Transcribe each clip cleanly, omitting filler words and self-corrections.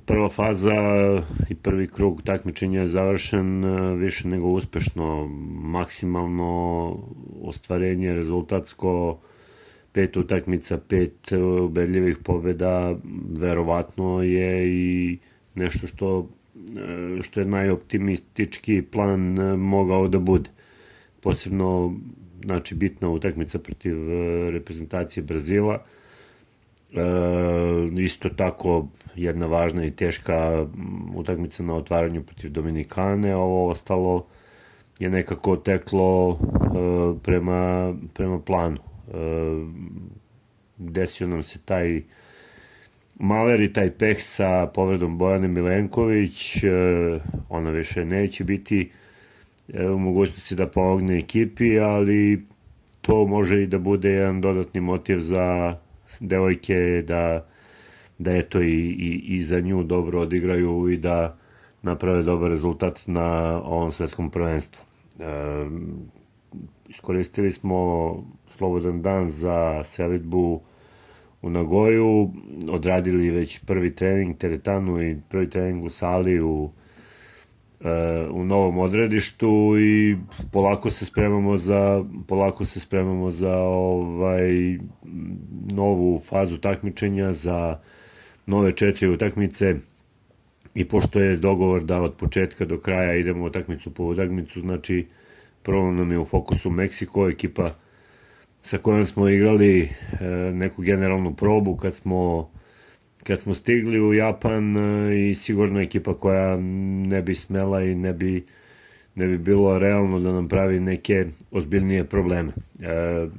Prva faza i prvi krug takmičenja je završen više nego uspešno, maksimalno ostvarenje rezultatsko, 5 utakmica, 5 ubedljivih pobjeda, verovatno je i nešto što je najoptimistički plan mogao da bude. Posebno, znači, bitna utakmica protiv reprezentacije Brazila. Isto tako jedna važna i teška utakmica na otvaranju protiv Dominikane. Ovo ostalo je nekako teklo prema planu. Desio nam se taj maler i taj peh sa povredom Bojane Milenković. Ona više neće biti u mogućnosti da pomogne ekipi, ali to može i da bude jedan dodatni motiv za devojke da eto i za nju dobro odigraju i da naprave dobar rezultat na ovom svetskom prvenstvu. Iskoristili smo slobodan dan za selidbu u Nagoju, odradili već prvi trening teretanu i prvi trening u sali u novom odredištu i polako se spremamo za novu fazu takmičenja, za nove 4 utakmice. I pošto je dogovor da od početka do kraja idemo utakmicu po utakmicu, znači prvo nam je u fokusu Meksiko, ekipa sa kojom smo igrali neku generalnu probu kad smo stigli u Japan i sigurno ekipa koja ne bi smela i ne bi bilo realno da nam pravi neke ozbiljnije probleme.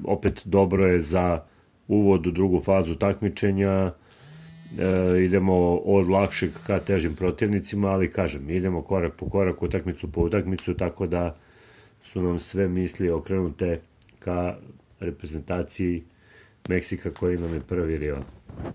Opet dobro je za uvod u drugu fazu takmičenja, idemo od lakšeg ka težim protivnicima, ali kažem, idemo korak po korak, utakmicu po utakmicu, tako da su nam sve misli okrenute ka reprezentaciji Meksika koji nam je prvi rival.